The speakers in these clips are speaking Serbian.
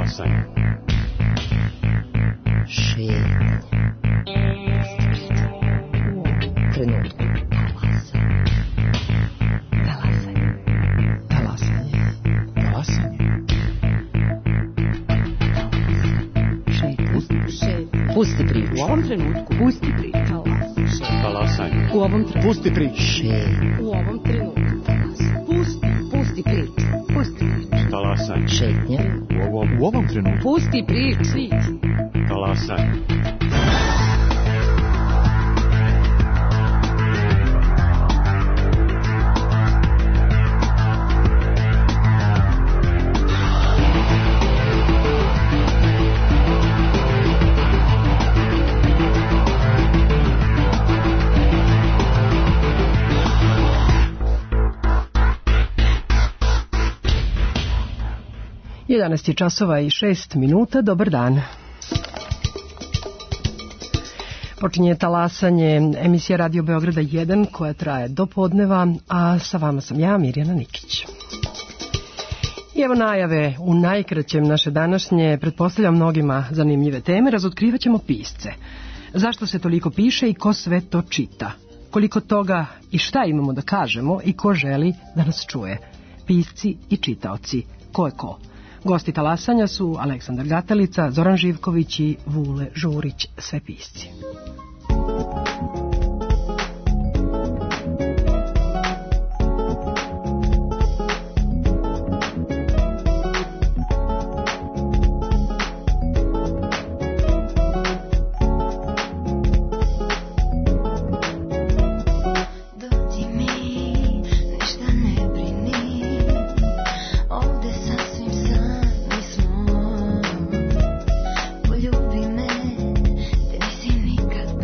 Talasanje. Šetnje. Trenutku. Talasanje. Talasanje. Talasanje. Šetnje. Pusti priču. U ovom trenutku. Pusti priču. Talasanje. U ovom trenutku. Pusti priču. Šetnje. U ovom trenutku. Pusti priču. Pusti priču. Talasanje. Šetnje. U ovom trenutku. Pusti priču. Talasanje. Jedanaest je časova i 6 minuta. Dobar dan. Počinje Talasanje, emisija Radio Beograda 1 koja traje do podneva, a sa vama sam ja, Mirjana Nikić. I evo najave u najkraćem naše današnje, pretpostavljam mnogima zanimljive teme, razotkrivat ćemo pisce. Zašto se toliko piše i ko sve to čita? Koliko toga i šta imamo da kažemo i ko želi da nas čuje? Pisci i čitaoci. Ko je ko? Gosti Talasanja su Aleksandar Gatalica, Zoran Živković i Vule Žurić, sve pisci. Poljubi me, te nisi nikad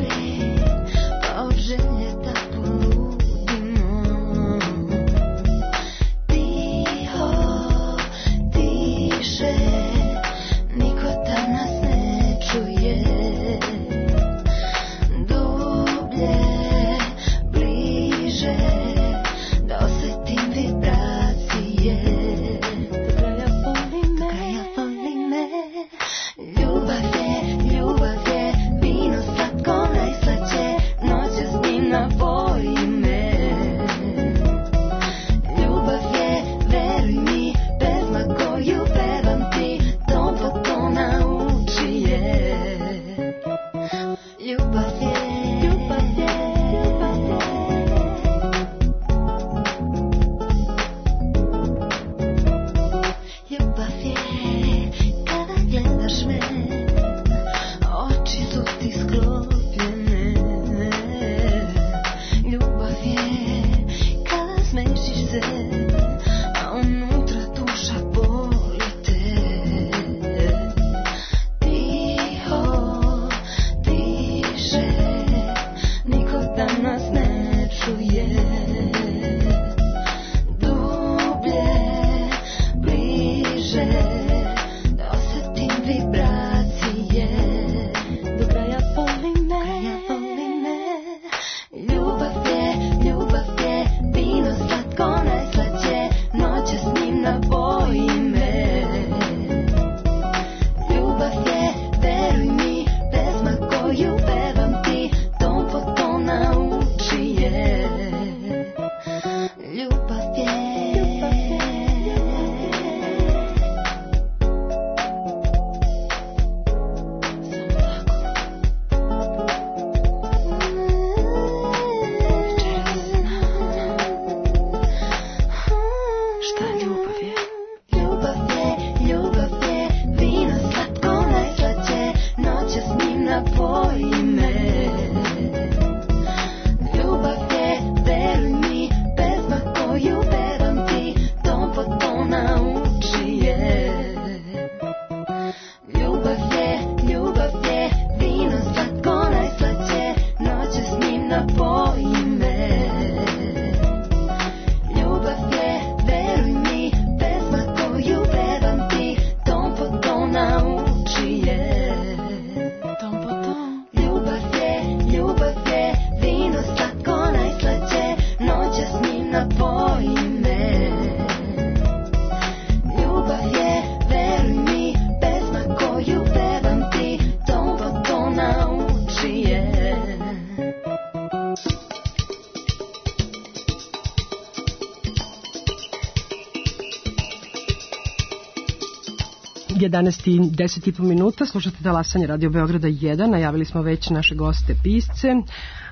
11:10 minuta, slušate Talasanje Radio Beograda 1, najavili smo već naše goste pisce.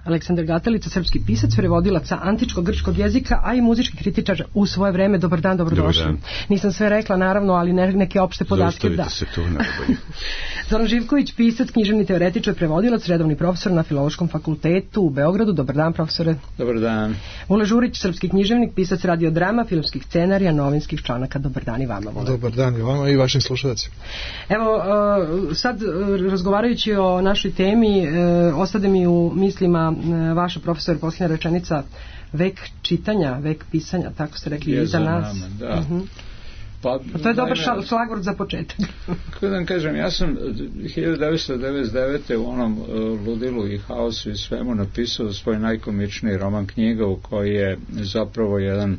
Aleksandar Gatelica, srpski pisac, prevodilac antičkog grčkog jezika, a i muzički kritičar u svoje vreme. Dobar dan, dobrodošli. Dobar dan. Nisam sve rekla, naravno, ali neke opšte podatke da. Zaustavite se tu najbolje. Zoran Živković, pisac, književni teoretičar, prevodilac, redovni profesor na Filološkom fakultetu u Beogradu. Dobar dan, profesore. Dobar dan. Vule Žurić, srpski književnik, pisac radiodrama, filmskih scenarija, novinskih članaka. Dobar dan i vama, Vule. Dobar dan i vama i vašim slušalcima. Evo, sad razgovarajući o našoj temi, ostade mi u mislima vaša, profesor, posljednja rečenica, vek čitanja, vek pisanja, tako ste rekli, je iza nas. Nama, da. Pa To je dobar šlagvort za početak. Kako da vam kažem, ja sam 1999. u onom ludilu i haosu i svemu napisao svoj najkomičniji roman knjiga u koji je zapravo jedan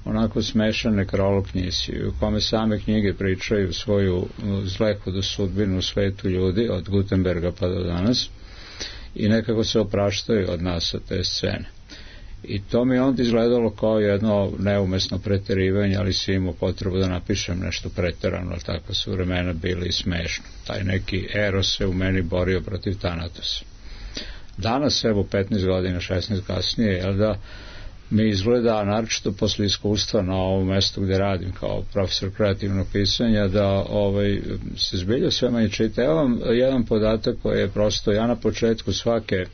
onako smešan nekrolog knjizi, u kome same knjige pričaju svoju zlehodu sudbinu u svetu ljudi od Gutenberga pa do danas i nekako se opraštaju od nas sa te scene. I to mi onda izgledalo kao jedno neumesno preterivanje, ali si imao potrebu da napišem nešto preterano, tako su vremena bili smešno. Taj neki Eros se u meni borio protiv Tanatosa. Danas, evo 15 godina, 16 kasnije, jel da, mi izgleda, naročito posle iskustva na ovom mestu gde radim kao profesor kreativnog pisanja, da se zbilja sve manje čita. Evo vam jedan podatak koji je prosto, ja na početku svake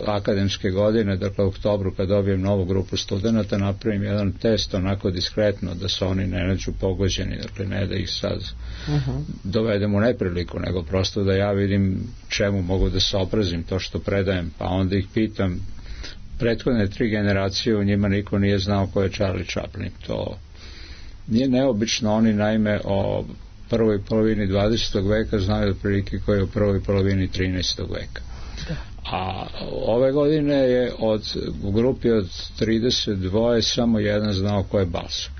akademske godine, dakle u oktobru kad dobijem novu grupu studenta, napravim jedan test onako diskretno da se oni ne nađu pogođeni, dakle ne da ih sad dovedem u nepriliku, nego prosto da ja vidim čemu mogu da se oprazim to što predajem, pa onda ih pitam. Prethodne 3 generacije u njima niko nije znao ko je Charlie Chaplin. To nije neobično, oni naime o prvoj polovini 20. veka znaju otprilike ko je u prvoj polovini 13. veka. A ove godine je u grupi od 32 samo jedan znao ko je Balzac.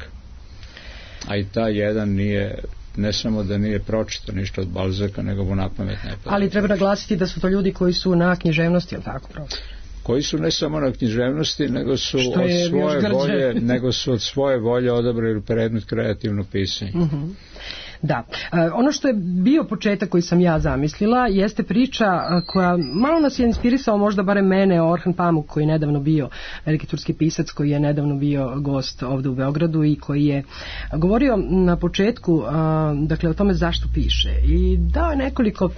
A i ta jedan nije, ne samo da nije pročitao ništa od Balzaka, nego mu napamet ne pada. Ali treba naglasiti da su to ljudi koji su na književnosti, jel tako, profesor? Koji su ne samo na književnosti, nego su od svoje volje odabrali predmet kreativno pisanje. Da. Ono što je bio početak koji sam ja zamislila jeste priča koja malo nas je inspirisao, možda barem mene, Orhan Pamuk, koji je nedavno bio veliki turski pisac, koji je nedavno bio gost ovde u Beogradu i koji je govorio na početku dakle o tome zašto piše i dao je nekoliko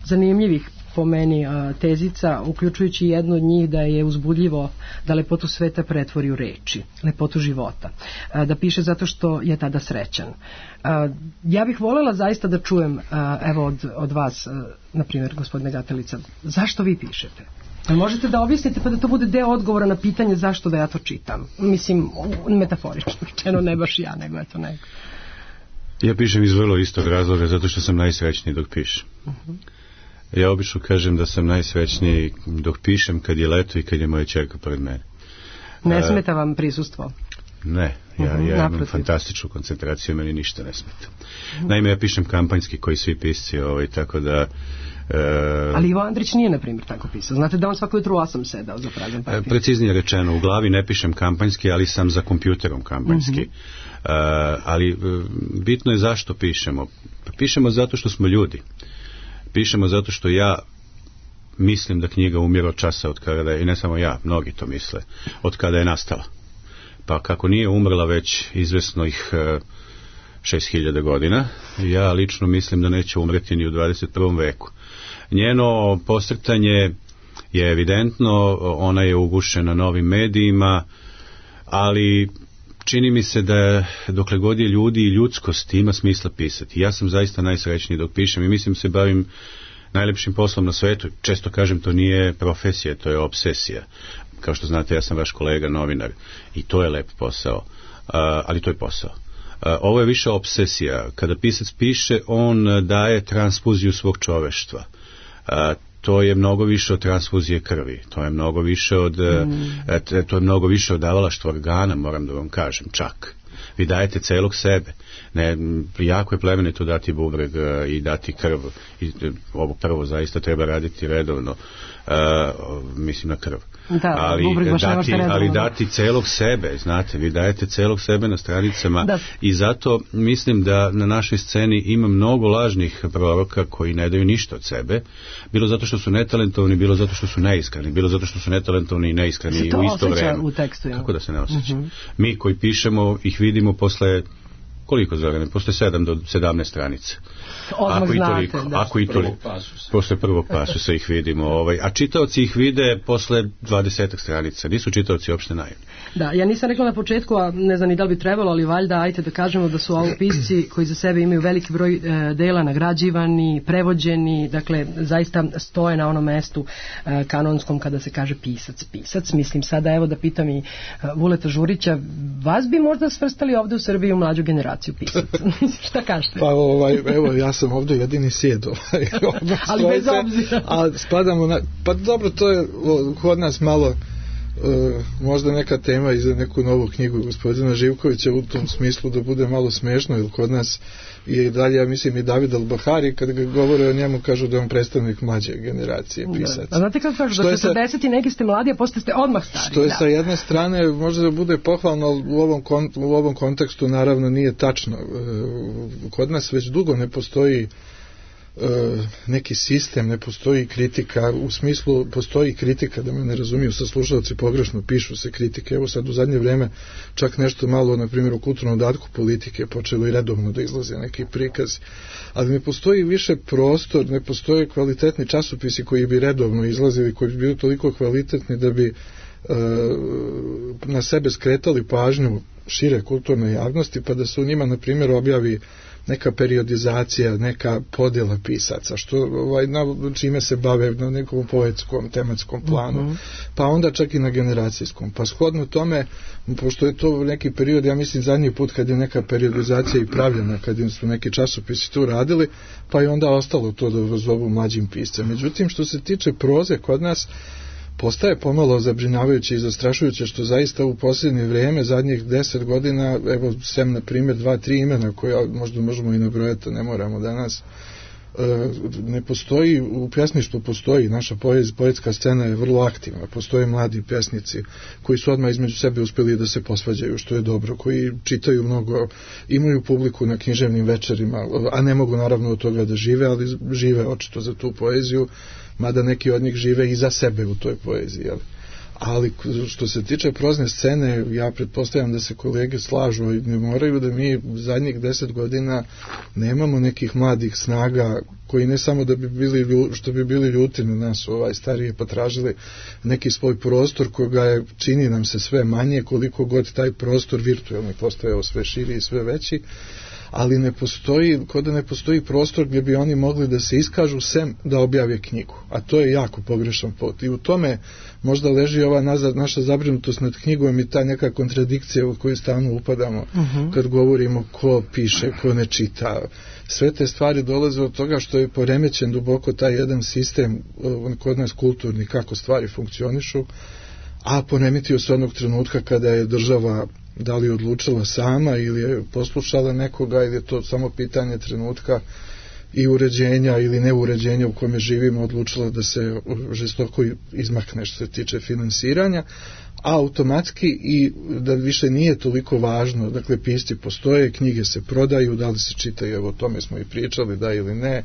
zanimljivih po meni tezica, uključujući jednu od njih da je uzbudljivo da lepotu sveta pretvori u reči, lepotu života, da piše zato što je tada srećan. Ja bih voljela zaista da čujem evo od vas, na primjer gospodine Gatelica, zašto vi pišete? Možete da objasnite pa da to bude deo odgovora na pitanje zašto da ja to čitam, mislim metaforično rečeno, ne baš ja, nego eto neko. Ja pišem iz vrlo istog razloga, zato što sam najsrećniji dok pišem. Ja obično kažem da sam najsrećniji dok pišem kad je leto i kad je moja ćerka pored mene. Ne smeta vam prisustvo? Ne, ja imam fantastičnu koncentraciju, meni ništa ne smeta. Naime, ja pišem kampanjski koji svi pisci, tako da... Ali Ivo Andrić nije, na primjer, tako pisao. Znate da on svako jutro u 8 sedao za prazan papir. Preciznije rečeno, u glavi ne pišem kampanjski, ali sam za kompjuterom kampanjski. Ali bitno je zašto pišemo. Pišemo zato što smo ljudi. Pišemo zato što ja mislim da knjiga umire od časa od kada je, i ne samo ja, mnogi to misle, od kada je nastala. Pa kako nije umrla već izvesnih 6000 godina, ja lično mislim da neće umreti ni u 21. veku. Njeno posrtanje je evidentno, ona je ugušena novim medijima, ali čini mi se da dokle god je ljudi i ljudskost ima smisla pisati. Ja sam zaista najsrećniji dok pišem i mislim se bavim najlepšim poslom na svetu. Često kažem, to nije profesija, to je obsesija. Kao što znate, ja sam vaš kolega novinar i to je lep posao, ali to je posao. Ovo je više obsesija. Kada pisac piše, on daje transfuziju svog čoveštva. To je mnogo više od transfuzije krvi, to je mnogo više od davalaštva organa, moram da vam kažem, čak. Vi dajete celog sebe. Ne, jako je plemenito dati bubreg i dati krv. I ovo prvo zaista treba raditi redovno. Mislim na krv. Da, ali dati celog sebe, znate, vi dajete celog sebe na stranicama i zato mislim da na našoj sceni ima mnogo lažnih proroka koji ne daju ništa od sebe, bilo zato što su netalentovani, bilo zato što su neiskreni, bilo zato što su netalentovani i neiskreni u isto vreme. U tekstu, kako da se ne osjeća? Mi koji pišemo ih vidimo posle koliko Zorane? Posle 7 do 17 stranica. Ako i toliko. Posle prvog pasusa ih vidimo. A čitaoci ih vide posle 20 stranica. Nisu čitaoci uopšte naivni. Da, ja nisam rekla na početku, a ne znam ni da li bi trebalo, ali valjda, ajte da kažemo da su ovo pisci koji za sebe imaju veliki broj dela nagrađivani, prevođeni, dakle, zaista stoje na onom mestu kanonskom kada se kaže pisac. Mislim sada, evo da pitam i Vuleta Žurića, vas bi možda svrstali ovde u Srbiji u mlađu generaciju pisaca? Šta kažete? Pa evo, ja sam ovde jedini sjed. Ali bez obzira. A spadamo pa dobro, to je kod nas malo možda neka tema i za neku novu knjigu gospodina Živkovića u tom smislu da bude malo smešno, jer kod nas je i dalje, ja mislim, i David Al-Bahari, kad ga govore o njemu, kažu da je on predstavnik mlađe generacije pisaca. A znate kako kažu, da 40 i neki ste mladi, a posle ste odmah stari. Što je sa jedne strane možda da bude pohvalno, ali u ovom kontekstu naravno nije tačno. Kod nas već dugo ne postoji neki sistem, ne postoji kritika, u smislu postoji kritika, da me ne razumiju sa slušalci pogrešno, pišu se kritike, evo sad u zadnje vreme čak nešto malo, na primjer u kulturnom dodatku politike počelo i redovno da izlaze neki prikaz, ali ne postoji više prostor, ne postoje kvalitetni časopisi koji bi redovno izlazili, koji bi bili toliko kvalitetni da bi na sebe skretali pažnju šire kulturne javnosti, pa da se u njima, na primjer, objavi neka periodizacija, neka podjela pisaca, što na čime se bave na nekom poetskom, tematskom planu, pa onda čak i na generacijskom. Pa shodno tome, pošto je to neki period, ja mislim zadnji put kad je neka periodizacija i pravljena, kad su neki časopisi tu radili, pa je onda ostalo to da zovu mlađim piscem. Međutim, što se tiče proze, kod nas postaje pomalo zabrinjavajuće i zastrašujuće, što zaista u posljednje vrijeme, zadnjih 10 godina, evo sem na primjer 2-3 imena koja možda možemo i nabrojati, ne moramo danas, ne postoji, u pjesništvu postoji, naša poetska scena je vrlo aktivna, postoje mladi pjesnici koji su odmah između sebe uspjeli da se posvađaju, što je dobro, koji čitaju mnogo, imaju publiku na književnim večerima, a ne mogu naravno od toga da žive, ali žive očito za tu poeziju, mada neki od njih žive i za sebe u toj poeziji. Ali što se tiče prozne scene, ja pretpostavljam da se kolege slažu i ne moraju, da mi zadnjih 10 godina nemamo nekih mladih snaga koji ne samo da bi bili, što bi bili ljuti na nas, starije potražili neki svoj prostor koga je, čini nam se sve manje, koliko god taj prostor virtualni postajao sve širi i sve veći, ali ne postoji, kod da ne postoji prostor gdje bi oni mogli da se iskažu sem da objave knjigu, a to je jako pogrešan put i u tome možda leži ova naša zabrinutost nad knjigom i ta neka kontradikcija u koju stalno upadamo kad govorimo ko piše, ko ne čita. Sve te stvari dolaze od toga što je poremećen duboko taj jedan sistem kod nas kulturni, kako stvari funkcionišu, a poremetio se onog trenutka kada je država da li odlučila sama ili je poslušala nekoga ili je to samo pitanje trenutka i uređenja ili neuređenja u kome živimo, odlučila da se žestoko izmakne što se tiče finansiranja, a automatski i da više nije toliko važno, dakle pisci postoje, knjige se prodaju, da li se čitaju, evo o tome smo i pričali, da ili ne.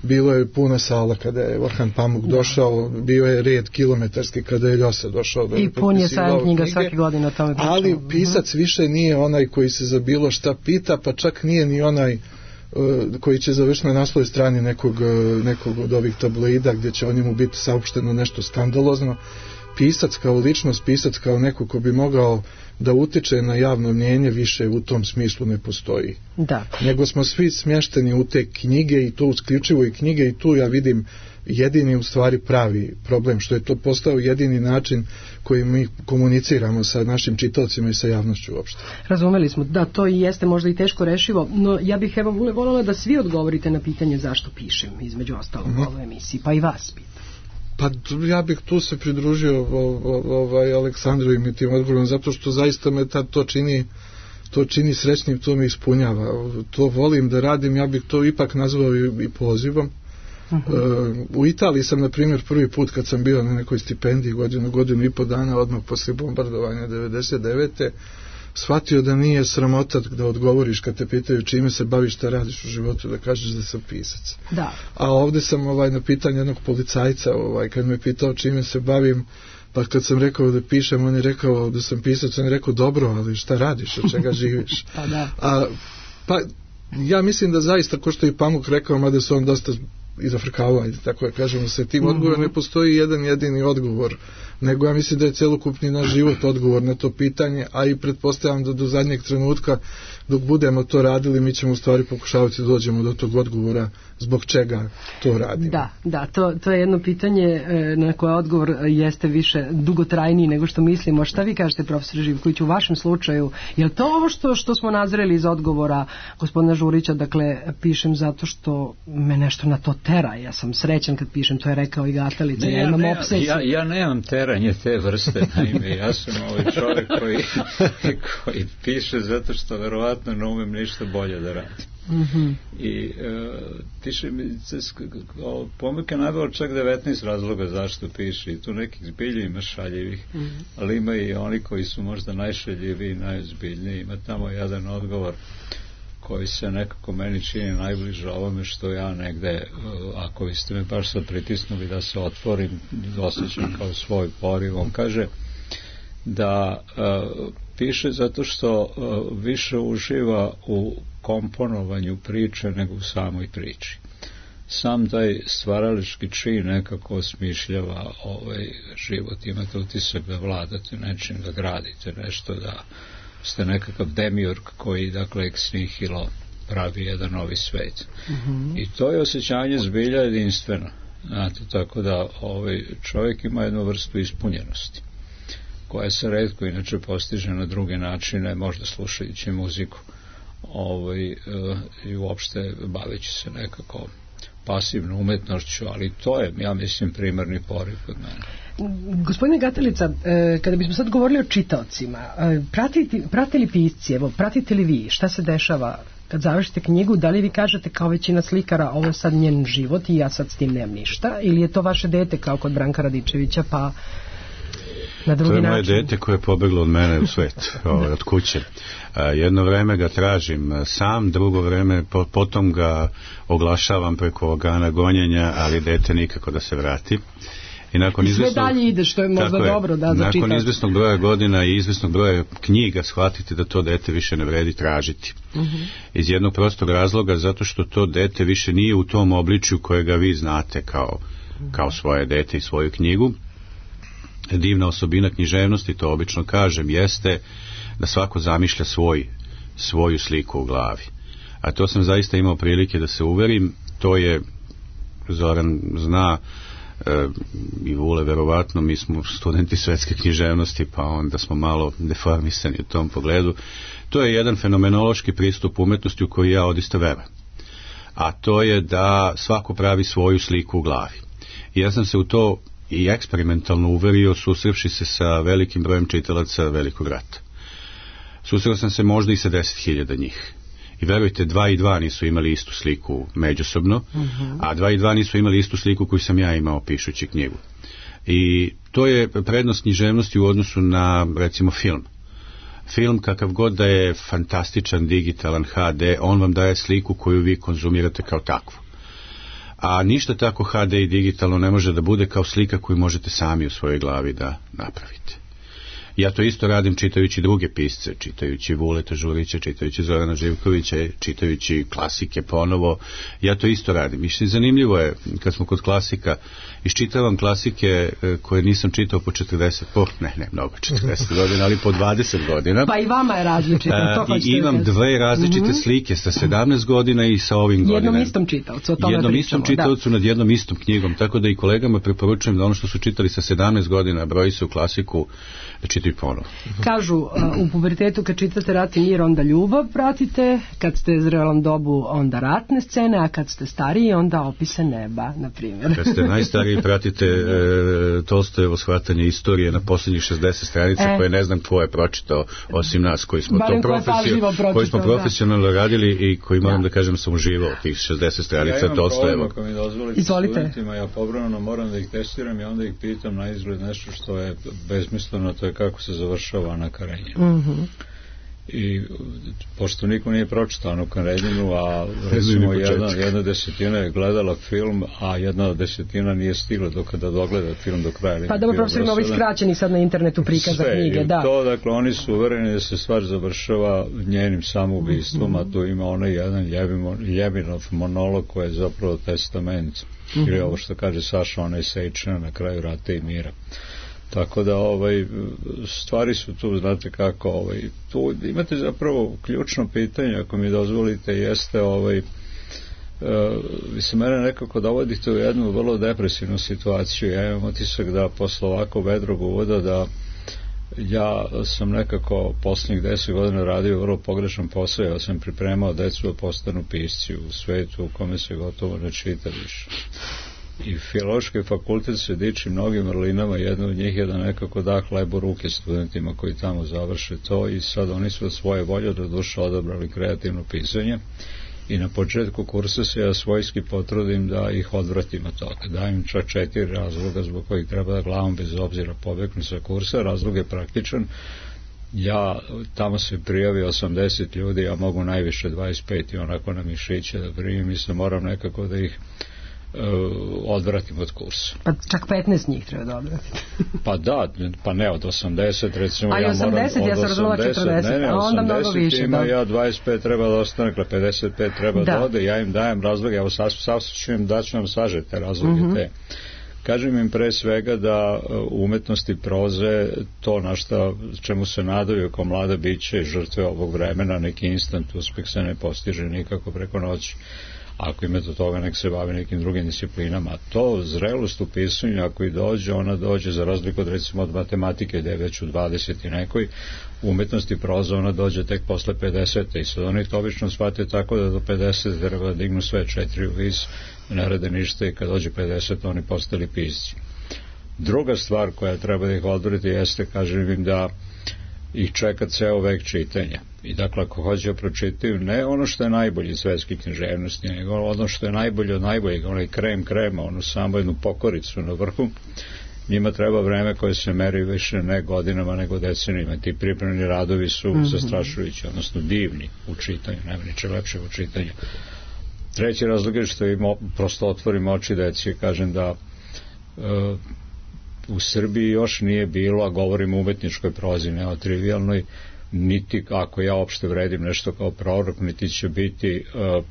Bilo je puna sala kada je Orhan Pamuk došao, bio je red kilometarski kada je Ljosa došao da i pun je sajam knjiga svake godine o tome pričamo. Ali pisac više nije onaj koji se za bilo šta pita, pa čak nije ni onaj koji će završiti na naslovnoj strani nekog od ovih tabloida gdje će o njemu biti saopšteno nešto skandalozno. Pisac kao ličnost, pisac kao neko ko bi mogao da utiče na javno mnjenje više u tom smislu ne postoji. Da. Nego smo svi smješteni u te knjige i to uključivo i knjige i tu ja vidim jedini u stvari pravi problem, što je to postao jedini način koji mi komuniciramo sa našim čitaocima i sa javnošću uopšte. Razumeli smo, da, to i jeste možda i teško rešivo, no ja bih evo voljela da svi odgovorite na pitanje zašto pišem, između ostalog u ovoj emisiji, pa i vas pitam. Pa ja bih tu se pridružio Aleksandrovim i tim odgovorom, zato što zaista me to čini srećnim, to me ispunjava. To volim da radim, ja bih to ipak nazvao i pozivom, U Italiji sam, na primjer, prvi put kad sam bio na nekoj stipendiji godinu i po dana odmah poslije bombardovanja 99. shvatio da nije sramota da odgovoriš kad te pitaju čime se baviš, šta radiš u životu, da kažeš da sam pisac. Da. A ovdje sam na pitanje jednog policajca kad me pitao čime se bavim, pa kad sam rekao da pišem, on je rekao da sam pisac, on je rekao dobro, ali šta radiš, od čega živiš? Pa da. Pa ja mislim da zaista, ko što je i Pamuk rekao, mada se on dosta izafrkavao, tako da kažemo, sa tim odgovorom ne postoji jedan jedini odgovor, nego ja mislim da je celokupni naš život odgovor na to pitanje, a i pretpostavljam da do zadnjeg trenutka dok budemo to radili, mi ćemo u stvari pokušavati da dođemo do tog odgovora zbog čega to radimo. Da, to je jedno pitanje na koje odgovor jeste više dugotrajniji nego što mislimo. Šta vi kažete, profesor Živković, u vašem slučaju? Je li to ovo što smo nazreli iz odgovora gospodina Žurića, dakle, pišem zato što me nešto na to tera, ja sam srećan kad pišem, to je rekao i Gatalica, ja imam obsesiju. Ja nemam teranje te vrste, naime, ja sam čovjek koji piše zato što verovatno ne umem ništa bolje da radim. I piše mi, Pomuk je naveo čak 19 razloga zašto piše, i tu nekih zbilji ima šaljivih, ali ima i oni koji su možda najšaljiviji i najozbiljniji. Ima tamo jedan odgovor koji se nekako meni čini najbliže ovome što ja negde, ako vi ste me baš sad pritisnuli da se otvorim, osjećam kao svoj poriv. On kaže da piše zato što više uživa u komponovanju priče nego u samoj priči. Sam taj stvaralički čin nekako osmišljava život. Imate utisak da vladate nečim, da gradite nešto, da ste nekakav demiurg koji, dakle, ex nihilo pravi jedan novi svet. I to je osjećanje zbilja jedinstveno. Znate, tako da čovjek ima jednu vrstu ispunjenosti koja se retko inače postiže na druge načine, možda slušajući muziku i uopšte baveći se nekako pasivnom umetnošću, ali to je, ja mislim, primarni poriv kod mene. Gospodine Gatalica, kada bismo sad govorili o čitaocima, prate li pisci, pratite li vi šta se dešava kad završite knjigu, da li vi kažete kao većina slikara ovo je sad njen život i ja sad s tim nemam ništa, ili je to vaše dete kao kod Branka Radičevića pa na drugi način? To je moje dete koje je pobeglo od mene u svet, od kuće. Jedno vreme ga tražim sam, drugo vreme potom ga oglašavam preko organa gonjenja, ali dete nikako da se vrati. I sve dalje ide, što je možda dobro da za čitač. Nakon izvesnog broja godina i izvesnog broja knjiga shvatite da to dete više ne vredi tražiti. Iz jednog prostog razloga, zato što to dete više nije u tom obličju kojega vi znate kao svoje dete i svoju knjigu. Divna osobina književnosti, to obično kažem, jeste da svako zamišlja svoju sliku u glavi. A to sam zaista imao prilike da se uverim. To je, Zoran zna, i Vule verovatno, mi smo studenti svetske književnosti, pa onda smo malo deformisani u tom pogledu. To je jedan fenomenološki pristup umetnosti u koji ja odista verujem. A to je da svako pravi svoju sliku u glavi. I ja sam se u to i eksperimentalno uverio susrevši se sa velikim brojem čitalaca Velikog rata. Susreo sam se možda i sa 10.000 njih. I verujte, 2 i 2 nisu imali istu sliku međusobno, a 2 i 2 nisu imali istu sliku koju sam ja imao pišući knjigu. I to je prednost književnosti u odnosu na, recimo, film. Film, kakav god da je fantastičan, digitalan, HD, on vam daje sliku koju vi konzumirate kao takvu. A ništa tako HD i digitalno ne može da bude kao slika koju možete sami u svojoj glavi da napravite. Ja to isto radim čitajući druge pisce, čitajući Vuleta Žurića, čitajući Zorana Živkovića, čitajući klasike ponovo. Ja to isto radim. I zanimljivo je, kad smo kod klasika, iščitavam klasike koje nisam čitao po 40 godina, ali po 20 godina. Pa i vama je različito. I imam dve različite slike, sa 17 godina i sa ovim godinama. Jednom istom čitaocu, o tome jednom pričamo. Istom čitaocu nad jednom istom knjigom, tako da i kolegama preporučujem da ono što su čitali sa 17 godina broji se u klasiku, da čitaju i ponovo. Kažu, u pubertetu kad čitate Rat i mir, onda ljubav pratite, kad ste zrelom dobu, onda ratne scene, a kad ste stariji, onda opise neba, na primjer. Kad ste najstariji, pratite Tolstojevo shvatanje istorije na posljednjih 60 stranica, koje ne znam ko je pročitao, osim nas, koji smo profesionalno radili i koji, moram da kažem, sam uživao tih 60 stranica Tolstojevog. Ako mi dozvolite studentima, ja povremeno moram da ih testiram i onda ih pitam na izgled nešto što je besmisleno, to je kako se završava Ana Karenjina. I pošto niko nije pročitao Anu Karenjinu, a recimo jedna desetina je gledala film, a jedna desetina nije stigla do kada dogleda film do kraja. Pa dobro, profesor, ima ovaj skraćeni sad na internetu prikaz za knjige, da. To, dakle, oni su uvereni da se stvar završava njenim samoubistvom, a tu ima onaj jedan Ljebinov monolog koji je zapravo testament, ili ovo što kaže Saša, onaj Sejčina na kraju Rata i mira. Tako da stvari su tu, znate kako, tu imate zapravo ključno pitanje, ako mi dozvolite, jeste vi se mene nekako dovodite u jednu vrlo depresivnu situaciju. Ja imam utisak da posle ovako vedrog uvoda da ja sam nekako posljednjih 10 godina radio vrlo pogrešan posao. Ja sam pripremao decu da postanu pisci u svetu u kome se gotovo ne čita više. I Filološki fakultet se diči mnogim vrlinama, jedna od njih je da nekako da hleb u ruke studentima koji tamo završe to, i sad oni su od svoje volje do duše odabrali kreativno pisanje i na početku kursa se ja svojski potrudim da ih odvratim od toga. Dajem čak 4 razloga zbog kojih treba da glavom bez obzira pobegnu sa kursa. Razlog je praktičan. Ja tamo se prijavi 80 ljudi, ja mogu najviše 25 i onako na mišiće da primim i se moram nekako da ih odvratim od kursa. Pa čak 15 njih treba da odvratiti. Pa da, pa ne od 80 recimo. Ali 80, ja sam razumela 40, ne, a onda mnogo više. Ima, ja 25 treba da ostane, 55 treba da ode, ja im dajem razloge, evo daću vam sažete razloge te. Kažem im pre svega da u umetnosti proze to na šta čemu se nadaju kao mlada biće žrtve ovog vremena, neki instant uspeh se ne postiže nikako preko noći. Ako ima do toga, nek se bavi nekim drugim disciplinama. To zrelost u pisanju, ako i dođe, ona dođe za razliku od recimo od matematike, gde je već u 20 i nekoj, u umetnosti proza ona dođe tek posle 50. I sad oni to obično shvate tako da do 50 treba da dignu sve 4 u vis, ne rade ništa, i kad dođe 50 oni postali pisci. Druga stvar koja treba da ih odvrati jeste, kažem im, da ih čeka ceo vek čitanja. I dakle, ako hoće pročitaju ne ono što je najbolje svetske književnosti, nego ono što je najbolje od najboljeg, onaj krema, onu samo jednu pokoricu na vrhu, njima treba vreme koje se meri više ne godinama nego decenijima. Ti pripremni radovi su zastrašujući, odnosno divni u čitanju, nema ničeg lepšeg u čitanju. Treći razlog je što im prosto otvorim oči deci, kažem da u Srbiji još nije bilo, a govorim o umetničkoj prozi, ne o trivialnoj, niti ako ja opšte vredim nešto kao prorok, niti će biti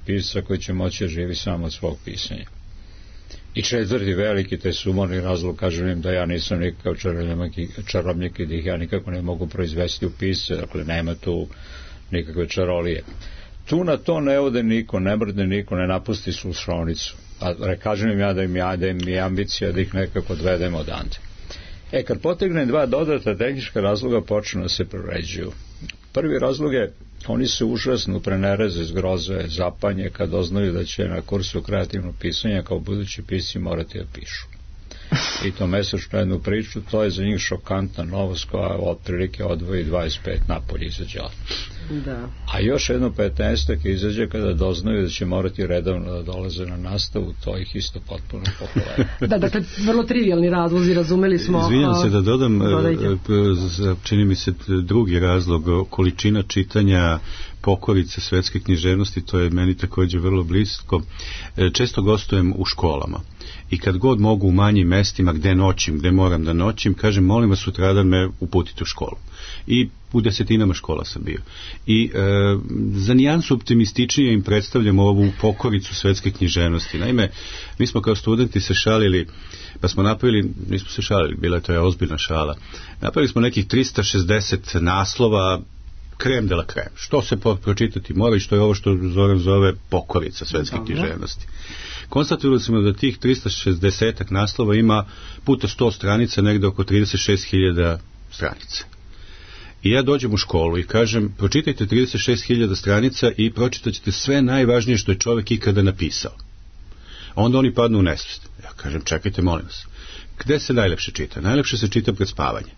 pisca koji će moći da živi samo od svog pisanja. I četvrti veliki, taj sumorni razlog, kažem im da ja nisam nikakav čarobnjak i da ih ja nikako ne mogu proizvesti u pisce, dakle nema tu nikakve čarolije. Tu na to ne ode niko, ne mrdne niko, ne napusti slušaonicu. A kažem im ja da im je ambicija da ih nekako odvedem odande. Kad potegnem 2 dodatna tehnička razloga, počnu da se proređuju. Prvi razlog je, oni se užasno prenereze, zgroze, zapanje kad doznaju da će na kursu kreativnog pisanja kao budući pisci morati da pišu. I to mesečno jednu priču, to je za njih šokantna novost koja otprilike odvoji 25 napolje izađe. Da. A još jedno 15 izađe kada doznaju da će morati redovno da dolaze na nastavu, to ih isto potpuno pokoleva. Da, dakle, vrlo trivialni razlozi, razumeli smo. Izvinjam se da dodam, čini mi se drugi razlog, količina čitanja pokorice svetske književnosti, to je meni također vrlo blisko. Često gostujem u školama i kad god mogu u manjim mestima gde noćim, gde moram da noćim, kažem, molim vas sutradan me uputite u školu. I u 10 škola sam bio. I za nijansu optimističnije im predstavljam ovu pokoricu svetske književnosti. Naime, mi smo kao studenti se šalili, pa smo napravili, nismo se šalili, bila to je ozbiljna šala, napravili smo nekih 360 naslova krem de la krem. Što se pročitati mora i što je ovo što Zoran zove pokorica svetske književnosti. Konstatovali smo da tih 360 naslova ima puta 100 stranica, negde oko 36.000 stranica. I ja dođem u školu i kažem, pročitajte 36.000 stranica i pročitat ćete sve najvažnije što je čovjek ikada napisao. A onda oni padnu u nesvijest. Ja kažem, čekajte, molim vas. Gde se najlepše čita? Najlepše se čita pred spavanje.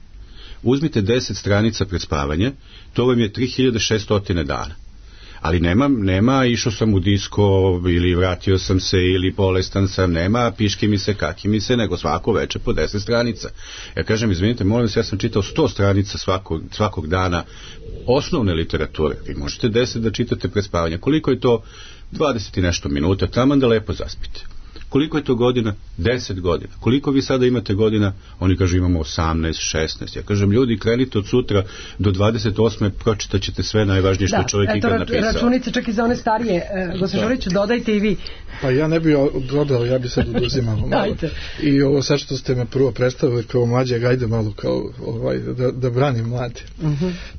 Uzmite 10 stranica pred spavanje, to vam je 3600 dana. Ali nema išao sam u disko ili vratio sam se ili bolestan sam, nema piški mi se, kaki mi se, nego svako večer po 10 stranica. Ja kažem, izvinite, molim vas, ja sam čitao 100 stranica svakog dana osnovne literature. Vi možete 10 da čitate pred spavanje. Koliko je to? 20 i nešto minuta, taman da lepo zaspite. Koliko je to godina? 10 godina. Koliko vi sada imate godina? Oni kažu imamo 18, 16. Ja kažem, ljudi, krenite od sutra do 28. pročitat ćete sve najvažnije što je čovjek ikad napisao. Računice čak i za one starije. Gospodin Žoriću, dodajte i vi. Pa ja ne bih dodao, ja bih sad oduzimao malo. I ovo sad što ste me prvo predstavili kao mlađeg, ajde malo kao da branim mlade.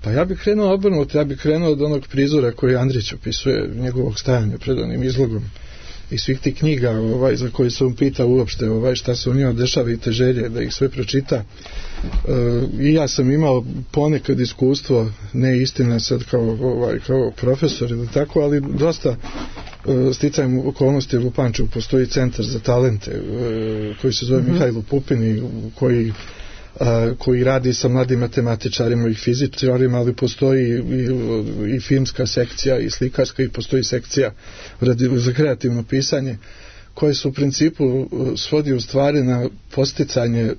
Pa ja bih krenuo obrnuto, ja bih krenuo od onog prizora koji Andrić opisuje, njegovog stajanja pred onim izlogom i svih tih knjiga za koje se on pita uopšte šta se u njima dešava i te želje da ih sve pročita. I ja sam imao ponekad iskustvo, ne istina sad kao profesor ili tako, ali dosta sticajem okolnosti u Pančevu postoji centar za talente koji se zove Mihajlo Pupin, koji radi sa mladim matematičarima i fizičarima, ali postoji i filmska sekcija i slikarska i postoji sekcija za kreativno pisanje, koje se u principu svodi u stvari na posticanje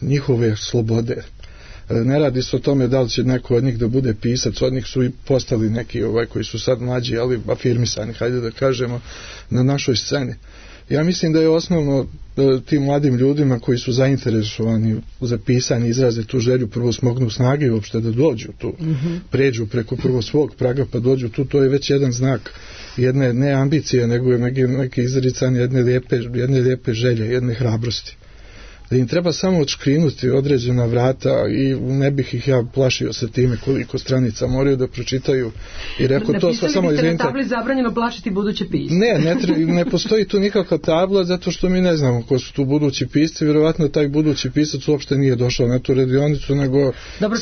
njihove slobode. Ne radi se o tome da li će neko od njih da bude pisac, od njih su i postali neki koji su sad mlađi, ali afirmisani, hajde da kažemo, na našoj sceni. Ja mislim da je osnovno tim mladim ljudima koji su zainteresovani za pisanje, izraze tu želju, prvo smognu snage uopšte da dođu tu, pređu preko prvo svog praga pa dođu tu, to je već jedan znak jedne ne ambicije, nego neke izricanje jedne lijepe želje, jedne hrabrosti. Da im treba samo odškrinuti određena vrata i ne bih ih ja plašio sa time koliko stranica moraju da pročitaju i rekao to samo izvinite. Na tabli zabranjeno plašiti buduće pisce. Ne postoji tu nikakva tabla zato što mi ne znamo ko su tu budući pisci, vjerovatno taj budući pisac uopšte nije došao na tu radionicu, nego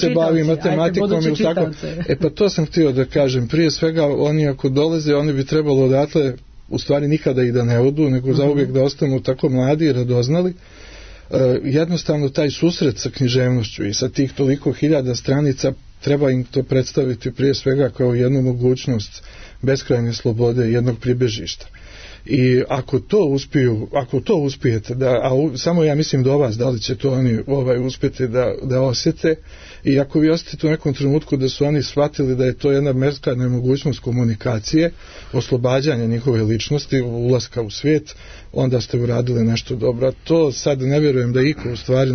se bavi matematikom i tako. Pa to sam htio da kažem, prije svega oni ako dolaze, oni bi trebalo odatle u stvari nikada i da ne odu, nego zauvijek da ostanu tako mladi i radoznali. Jednostavno taj susret sa književnošću i sa tih toliko hiljada stranica treba im to predstaviti prije svega kao jednu mogućnost beskrajne slobode, jednog pribežišta. I ako to uspijete, samo ja mislim do vas, da li će to oni uspjeti da osjete, i ako vi osjetite u nekom trenutku da su oni shvatili da je to jedna beskrajna mogućnost komunikacije, oslobađanja njihove ličnosti, ulaska u svijet, onda ste uradili nešto dobro. To sad ne vjerujem da iko u stvari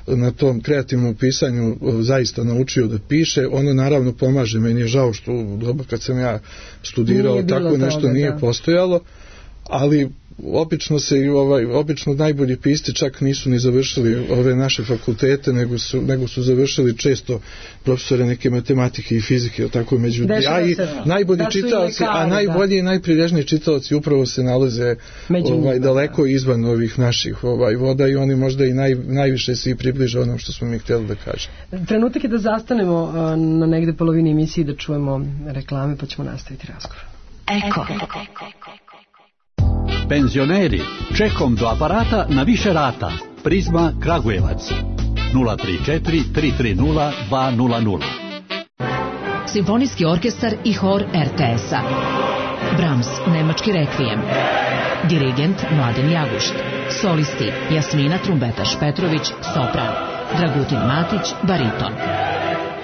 na tom kreativnom pisanju zaista naučio da piše. Ono naravno pomaže, meni je žao što u doba kad sam ja studirao tako nešto nije postojalo, ali obično najbolji pisci čak nisu ni završili ove naše fakultete, nego su završili često profesore neke matematike i fizike, tako među najbolji čitaoci, a najbolji i najprilježniji čitaoci upravo se nalaze daleko izvan ovih naših voda i oni možda i najviše se i približe onom što smo mi htjeli da kažemo. Trenutak je da zastanemo na negde polovini emisiji da čujemo reklame, pa ćemo nastaviti razgovor. Penzioneri, čekom do aparata na više rata. Prizma Kragujevac 034 330 200. Simfonijski orkestar i hor RTS-a. Brahms, nemački rekvijem. Dirigent Mladen Jagušt. Solisti Jasmina Trumbetaš Petrović, sopran. Dragutin Matić, bariton.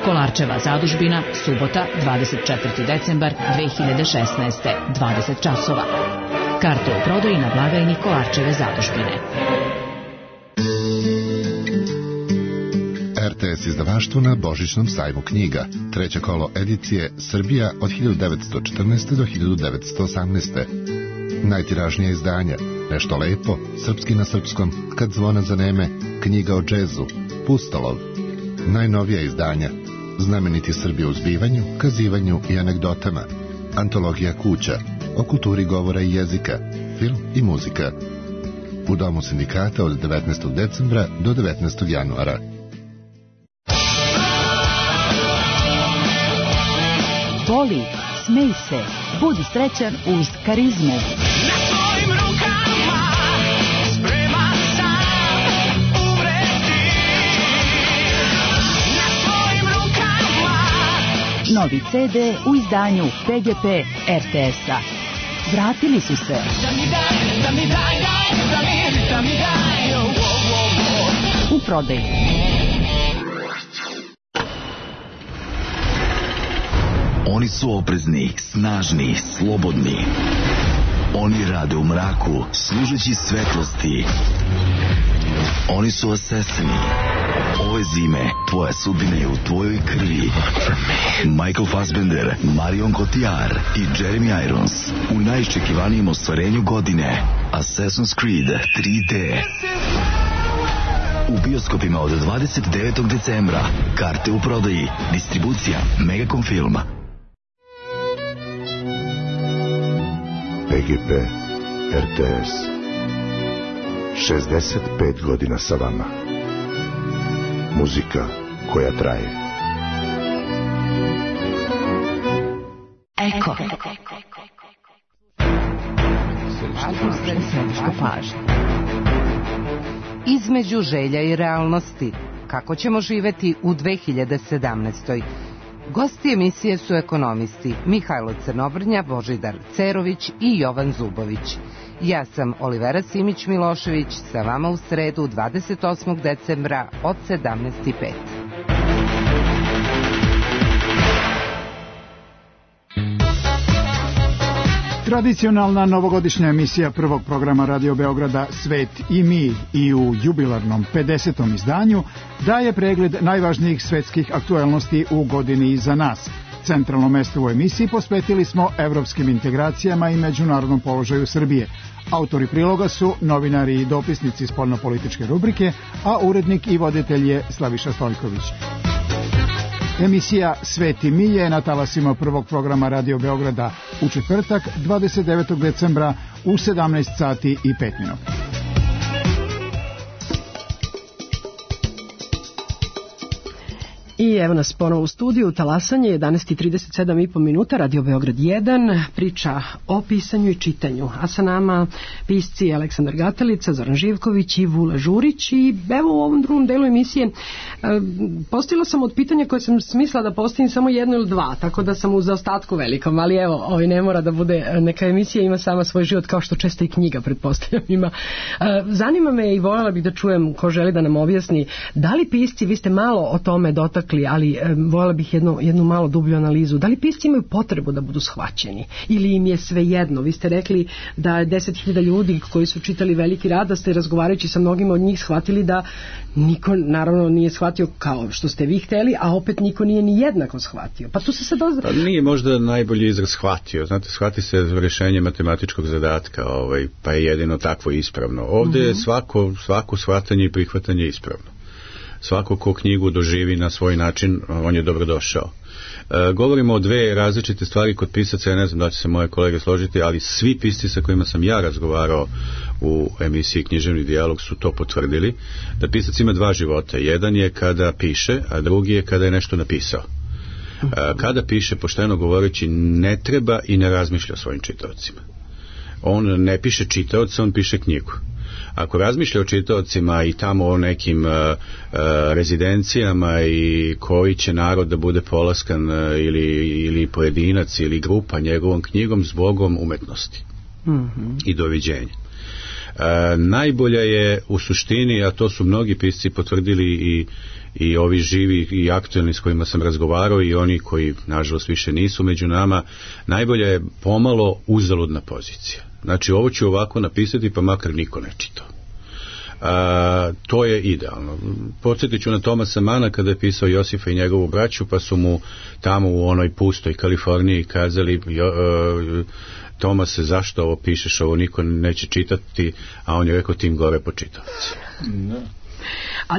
Kolarčeva zadužbina, subota, 24. decembar 2016. 20 časova. Karte u prodaji na blagajni Kolarčeve zadužbine. RTS izdavaštvo na Božićnom sajmu knjiga. Treće kolo edicije Srbija od 1914. do 1918. Najtiražnija izdanja: Nešto lepo, Srpski na srpskom, Kad zvona zaneme, Knjiga o džezu, Pustolov. Najnovija izdanja: Znameniti Srbi u zbivanju, kazivanju i anegdotama, Antologija kuća, o kulturi govora i jezika, film i muzika. U Domu sindikata od 19. decembra do 19. januara. voli, smej se, budi srećan uz Karizmu. Novi CD u izdanju PGP RTS-a. Vratili su se. U prodaju. Oni su oprezni, snažni, slobodni. Oni rade u mraku, služeći svetlosti. Oni su asesini. Ove zime tvoja sudbina je u tvojoj krvi. Michael Fassbender, Marion Cotillard i Jeremy Irons u najiščekivanijem ostvarenju godine, Assassin's Creed 3D. U bioskopima od 29. decembra. Karte u prodaji. Distribucija Megacom Film. PGP RTS 65 godina sa vama. Muzika koja traje. Eko. Središta pažnje. Između želja i realnosti. Kako ćemo živeti u 2017. Gosti emisije su ekonomisti Mihajlo Crnobrnja, Božidar Cerović i Jovan Zubović. Ja sam Olivera Simić-Milošević, sa vama u sredu 28. decembra od 17:05. Tradicionalna novogodišnja emisija prvog programa Radio Beograda Svet i mi i u jubilarnom 50. izdanju daje pregled najvažnijih svetskih aktuelnosti u godini iza nas. Centralno mesto u emisiji posvetili smo evropskim integracijama i međunarodnom položaju Srbije. Autori priloga su novinari i dopisnici spoljnopolitičke rubrike, a urednik i voditelj je Slaviša Stojković. Emisija Svet i mi je na talasima prvog programa Radio Beograda u četvrtak 29. decembra u 17 sati i 5 minuta. I evo nas ponovo u studiju, talasanje 11:37,5 minuta, Radio Beograd 1, priča o pisanju i čitanju, a sa nama pisci Aleksandar Gatelica, Zoran Živković i Vula Žurić. I evo u ovom drugom delu emisije postavila sam od pitanja koje sam smislila da postavim samo jedno ili dva, tako da sam u zaostatku velikom, ali evo, ne mora da bude, neka emisija ima sama svoj život, kao što često i knjiga, pretpostavljam, ima. Zanima me i voljela bih da čujem ko želi da nam objasni, da li pisci, vi ste malo o tome dotakli, ali voljela bih jednu malo dublju analizu. Da li pisci imaju potrebu da budu shvaćeni ili im je sve jedno? Vi ste rekli da je 10.000 ljudi koji su čitali Veliki rad, da ste razgovarajući sa mnogima od njih shvatili da niko naravno nije shvatio kao što ste vi hteli, a opet niko nije ni jednako shvatio. Pa tu se sad nije možda najbolji izraz shvatio. Znate, shvati se rješenje matematičkog zadatka, pa je jedino takvo ispravno. Ovdje je svako shvatanje i prihvatanje ispravno. Svako ko knjigu doživi na svoj način, on je dobrodošao. Govorimo o dve različite stvari kod pisaca, ja ne znam da će se moje kolege složiti, ali svi pisci sa kojima sam ja razgovarao u emisiji Književni dijalog su to potvrdili, da pisac ima dva života. Jedan je kada piše, a drugi je kada je nešto napisao. Kada piše, pošteno govoreći, ne treba i ne razmišlja o svojim čitaocima. On ne piše čitaoca, on piše knjigu. Ako razmišlja o čitaocima i tamo o nekim rezidencijama i koji će narod da bude polaskan ili pojedinac ili grupa njegovom knjigom, zbogom umetnosti i doviđenja. Najbolja je u suštini, a to su mnogi pisci potvrdili i ovi živi i aktuelni s kojima sam razgovarao i oni koji nažalost više nisu među nama, najbolja je pomalo uzaludna pozicija. Znači, ovo ću ovako napisati pa makar niko ne čitao. To je idealno. Podsjetit ću na Tomasa Mana kada je pisao Josifa i njegovu braću, pa su mu tamo u onoj pustoj Kaliforniji kazali Tomase, zašto ovo pišeš, ovo niko neće čitati, a on je rekao, tim gore po čitavci. A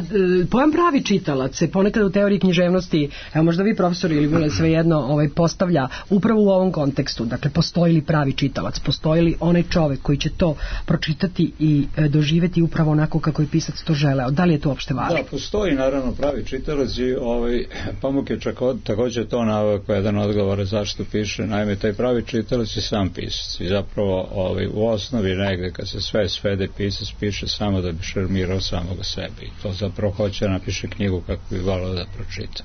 pojam pravi čitalac se ponekad u teoriji književnosti, evo možda vi profesori ili svejedno postavlja upravo u ovom kontekstu. Dakle, postoji li pravi čitalac, postoji li onaj čovek koji će to pročitati i doživeti upravo onako kako je pisac to želeo. Da li je to uopšte važno? Da, postoji naravno pravi čitalac i Pamuk je također to naveo kao jedan odgovor zašto piše. Naime, taj pravi čitalac je sam pisac i zapravo u osnovi negde kad se sve svede, pisac piše samo da bi šarmirao samoga sebe i to zapravo hoće napiše knjigu kako bi voleo da pročita.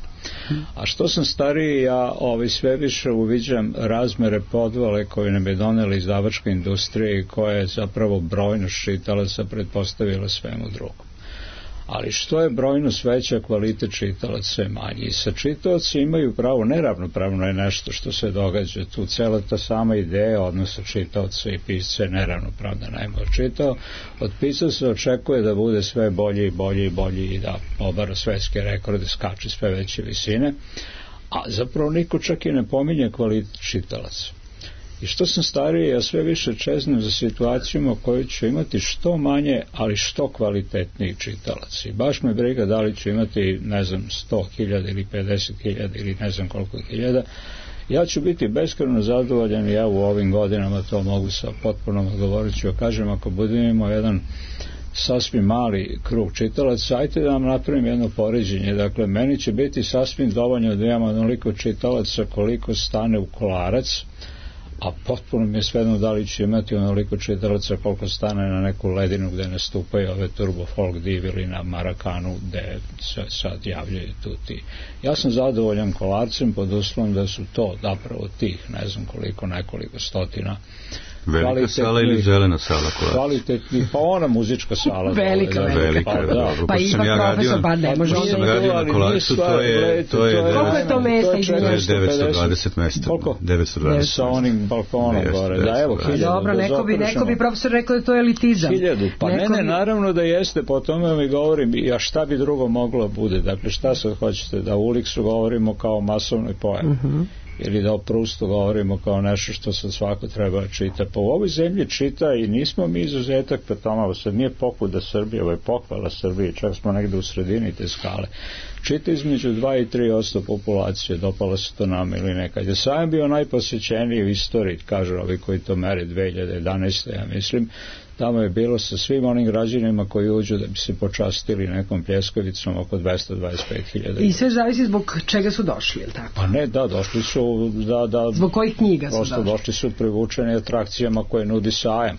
A što sam stariji, ja sve više uviđam razmere podvale koje nam je donela izdavačka industrija i koja je zapravo brojnost čitalaca pretpostavila svemu drugom. Ali što je brojnost veća, kvalitet čitalaca je manji. I sa čitaoci imaju pravo, neravnopravno je nešto što se događa. Tu cela ta sama ideja odnosa čitaoca i pisca je neravnopravna. Naime, od pisca se očekuje da bude sve bolji i bolji i bolji i da obara svetske rekorde, skače sve veće visine, a zapravo niko čak i ne pominje kvalitet čitalaca. I što sam stariji, ja sve više čeznem za situacijama koju ću imati što manje, ali što kvalitetniji čitalac. I baš me briga da li ću imati, 100.000 ili 50.000 ili ne znam koliko hiljada. Ja ću biti beskrajno zadovoljan i ja u ovim godinama to mogu sa potpunom odgovorujući kažem, ako budemo imao jedan sasvim mali krug čitalaca, ajte da vam napravim jedno poređenje. Dakle, meni će biti sasvim dovoljno da imam onoliko čitalaca koliko stane u kolarac, a potpuno mi je svejedno da li će imati onoliko čitalaca koliko stane na neku ledinu gde nastupaju ove turbo folk div ili na Marakanu gde se sad javljaju tu ti. Ja sam zadovoljan kolarcem pod uslovom da su to zapravo tih nekoliko stotina velika sala ili zelena sala? Kvalitetni, pa ona muzička sala. Velika. Pa ipak profesor, pa ne može. Sam radio na Kolarcu, to je... Koliko je to mesta? 920 mesta. Koliko? 920. Sa onim balkonom gore. Da, evo, 1000. Dobro, neko bi profesor rekao da to je elitizam. 1000. Pa ne, naravno da jeste, po tome mi govorim, a šta bi drugo moglo bude? Dakle, šta sad hoćete? Da u Uliksu govorimo kao masovnoj pojavi? Ili da o Prustu govorimo kao nešto što sad svako treba čita. Pa u ovoj zemlji čita i nismo mi izuzetak po tome, ovo sad nije pokuda Srbije, ovo je pohvala Srbije, čak smo negde u sredini te skale. Čita između 2 i 3% populacije, dopalo se to nama ili nekad. Ja sam bio najposjećeniji u istoriji, kažu ovi koji to mere 2011. ja mislim, tamo je bilo sa svim onim građanima koji uđu da bi se počastili nekom pljeskavicom oko 225.000. I sve zavisi zbog čega su došli, je li tako? Pa ne, da, došli su zbog kojih knjiga su došli su privučeni atrakcijama koje nudi sajam.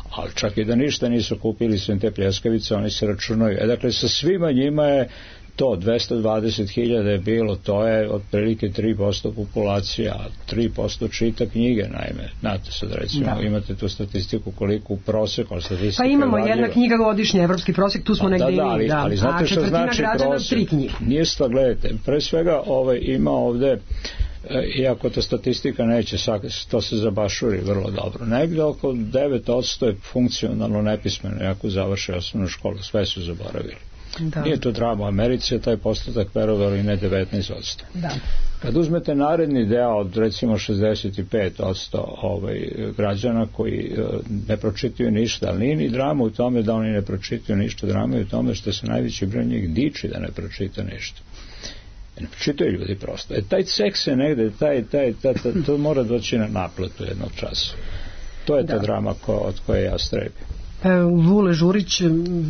Ali čak i da ništa nisu kupili sve te pljeskavice, oni se računaju. Dakle, sa svima njima je to 220.000 je bilo, to je otprilike 3% populacije, a 3% čita knjige, naime. Znate sad, recimo, imate tu statistiku koliko u proseku, statistika pa imamo jedna knjiga godišnje, evropski prosek, tu smo negdje imali. Ali znate što znači prosek? Nije stvar, gledajte, pre svega ima ovde, iako ta statistika neće, to se zabašuri vrlo dobro. Negde oko 9% je funkcionalno nepismeno, ako završe osnovnu školu, sve su zaboravili. Da. Nije to drama, u Americi je taj postotak verovali ne 19%. Da. Kad uzmete naredni deo od recimo 65% građana koji ne pročitaju ništa, ali nije ni drama u tome da oni ne pročitaju ništa, drama je u tome što se najveći broj njih diči da ne pročita ništa. Ne pročitaju ljudi prosto. Taj cek se negde, to mora doći na naplatu jednog časa. To je ta drama od koje ja strebim. Vule Žurić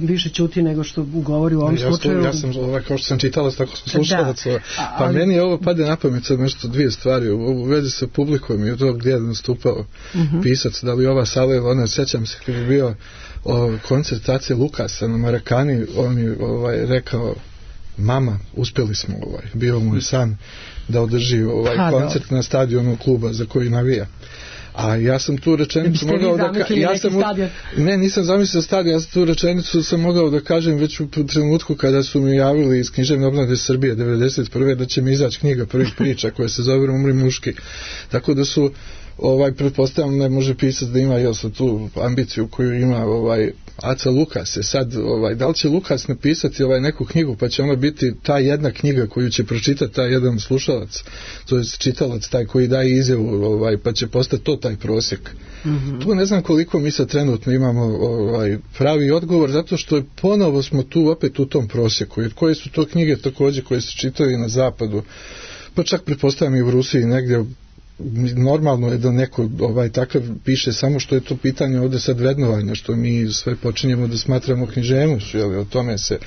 više ćuti nego što govori u ovom slučaju. Ja sam, kao što sam čitala, tako smo slušalac, pa meni ovo pade na pamet sad nešto dvije stvari u vezi sa publikom i od toga gdje je nastupao pisac, da li ova sala ili ona, sjećam se kad je bio koncert Ace Lukasa na Marakani, on je rekao, mama, uspjeli smo, bio mu je san da održi koncert na stadionu kluba za koji navija. A ja sam tu rečenicu mogao da nisam zamislio stadion, ja sam tu rečenicu sam mogao da kažem već u trenutku kada su mi javili iz Književne obnove Srbije 1991. da će mi izaći knjiga prvih priča koja se zove Umri muški. Tako da su pretpostavljam ne može pisac da ima tu ambiciju koju ima Aca Lukas. Sad, da li će Lukas napisati neku knjigu pa će ona biti ta jedna knjiga koju će pročitati taj jedan slušalac, to je čitalac taj koji daje izjavu, pa će postati to ta taj prosjek. Tu ne znam koliko mi sad trenutno imamo pravi odgovor, zato što ponovo smo tu opet u tom prosjeku, jer koje su to knjige također koje se čitaju na zapadu, pa čak pretpostavljam i u Rusiji negdje. Normalno je da neko takav piše, samo što je to pitanje ovdje sad vrednovanja, što mi sve počinjemo da smatramo književnošću, jer o tome se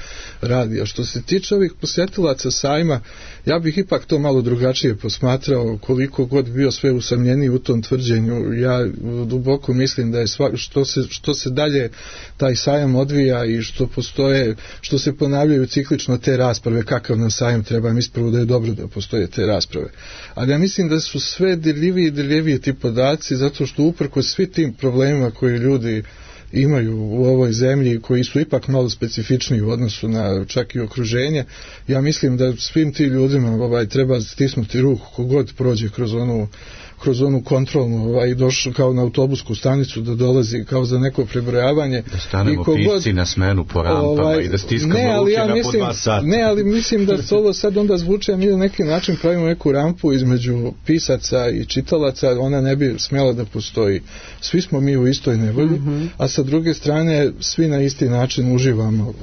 radi. A što se tiče ovih posjetilaca sajma, ja bih ipak to malo drugačije posmatrao, koliko god bio sve usamljeniji u tom tvrđenju. Ja duboko mislim da je što se dalje taj sajam odvija i što se ponavljaju ciklično te rasprave, kakav nam sajam treba, mi ispravo da je dobro da postoje te rasprave. Ali ja mislim da su sve dirljiviji ti podaci, zato što uprkos svi tim problemima koje ljudi imaju u ovoj zemlji, koji su ipak malo specifični u odnosu na čak i okruženje, ja mislim da svim tim ljudima treba stisnuti ruku kogod prođe kroz onu kontrolnu i došao kao na autobusku stanicu da dolazi kao za neko prebrojavanje. Da stanemo pisci na smenu po rampama i da stiskamo ruke na po 2 sata. Ne, ali mislim da ovo sad onda zvuče, mi na neki način pravimo neku rampu između pisaca i čitalaca, ona ne bi smjela da postoji. Svi smo mi u istoj nevolji, a sa druge strane svi na isti način uživamo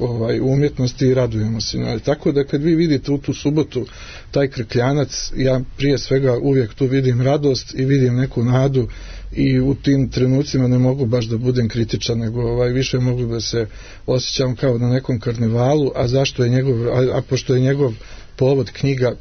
u umjetnosti i radujemo se. Tako da kad vi vidite u tu subotu taj Krkljanac, ja prije svega uvijek tu vidim radost i vidim neku nadu i u tim trenucima ne mogu baš da budem kritičan, nego više mogu da se osjećam kao na nekom karnevalu, a zašto je pošto je njegov povod knjiga,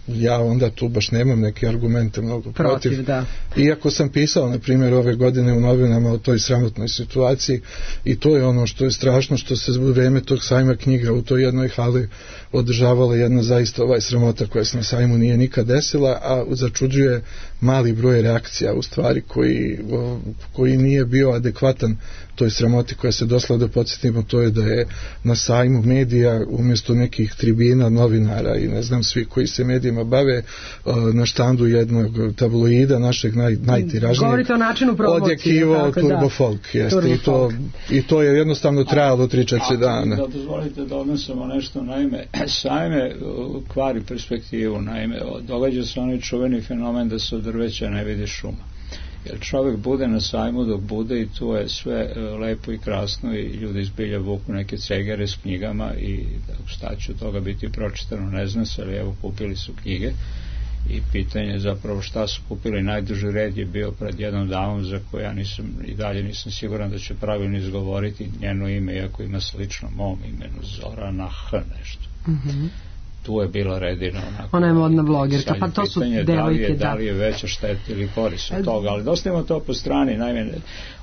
ja onda tu baš nemam neke argumente mnogo protiv. Da. Iako sam pisao, na primjer, ove godine u novinama o toj sramotnoj situaciji, i to je ono što je strašno, što se u vrijeme tog sajma knjiga u toj jednoj hali održavala jedna zaista sramota koja se na sajmu nije nikad desila, a začuđuje mali broj reakcija u stvari koji nije bio adekvatan toj sramoti koja se dosla, da podsjetimo, to je da je na sajmu medija umjesto nekih tribina, novinara i ne znam svi koji se medijima bave, na štandu jednog tabloida našeg najtiražnijeg govorite o načinu promocije, odjekivao Turbofolk, i to je jednostavno trajalo 3-4 dana. Da dozvolite da odnosimo nešto, naime sajme kvari perspektivu, naime događa se onaj čuveni fenomen da se od drveća ne vidi šuma. Jer čovjek bude na sajmu dok bude i tu je sve lepo i krasno i ljudi zbilja vuku neke cegere s knjigama i šta će od toga biti pročitano ne znam se, ali evo kupili su knjige i pitanje je zapravo šta su kupili. Najduži red je bio pred jednom damom za koju ja i dalje nisam siguran da će pravilno izgovoriti njeno ime, iako ima slično mom imenu, Zorana H. nešto. Tu je bila redina onako, ona je modna blogerka, pa to su devojke, da li je veća šteta ili korist od toga, ali dostavimo to po strani. Naime,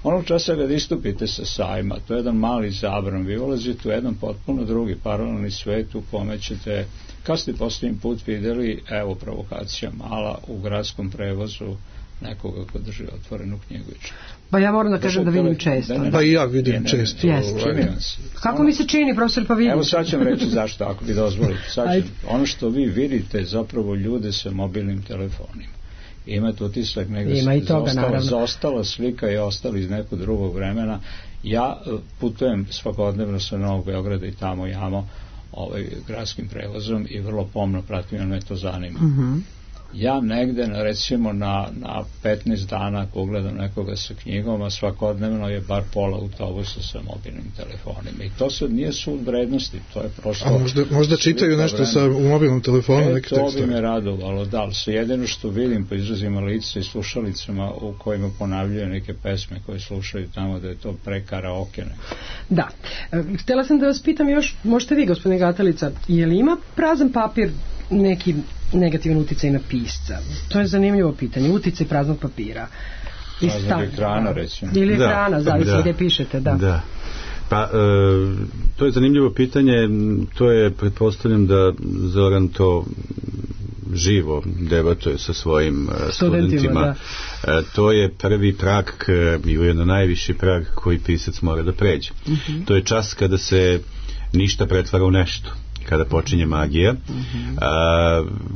onog časa kad istupite sa sajma, to je jedan mali zabran, vi ulazite u jedan potpuno drugi paralelni svet u kome ćete, kad ste posljednji put vidjeli, evo provokacija mala, u gradskom prevozu nekoga ko drži otvorenu knjigu i čita. Pa ja moram da kažem da vidim često. Pa i ja vidim često. Kako mi se čini, profesor, pa vidim? Evo sad ću vam reći zašto, ako bi dozvolite. Ono što vi vidite zapravo ljude sa mobilnim telefonima. Imate utisak negdje zaostala slika i ostali iz nekog drugog vremena. Ja putujem svakodnevno sa Novog Beograda i tamo jamo gradskim prevozom i vrlo pomno pratim, jer me to zanima. Ja negde, recimo na 15 dana ako gledam nekoga sa knjigom, a svakodnevno je bar pola autobusa sa mobilnim telefonima. I to sad nije sud vrednosti, to je prosto... A možda čitaju nešto u mobilnom telefonu, neki tekstovi? To bi me radovalo, da, ali jedino što vidim po izrazima lica i slušalicama u kojima ponavljaju neke pesme koje slušaju tamo, da je to karaoke. Da. Htjela sam da vas pitam još, možete vi, gospodine Gatalica, je li ima prazan papir neki negativan uticaj na pisca? To je zanimljivo pitanje. Uticaj praznog papira. Praznog ekrana, recimo. Ili ekrana, zavisno gdje pišete, da. Pa, to je zanimljivo pitanje. To je, pretpostavljam da Zoran to živo debatuje sa svojim studentima. To je prvi prag i ujedno najviši prag koji pisac mora da pređe. To je čas kada se ništa pretvara u nešto, kada počinje magija.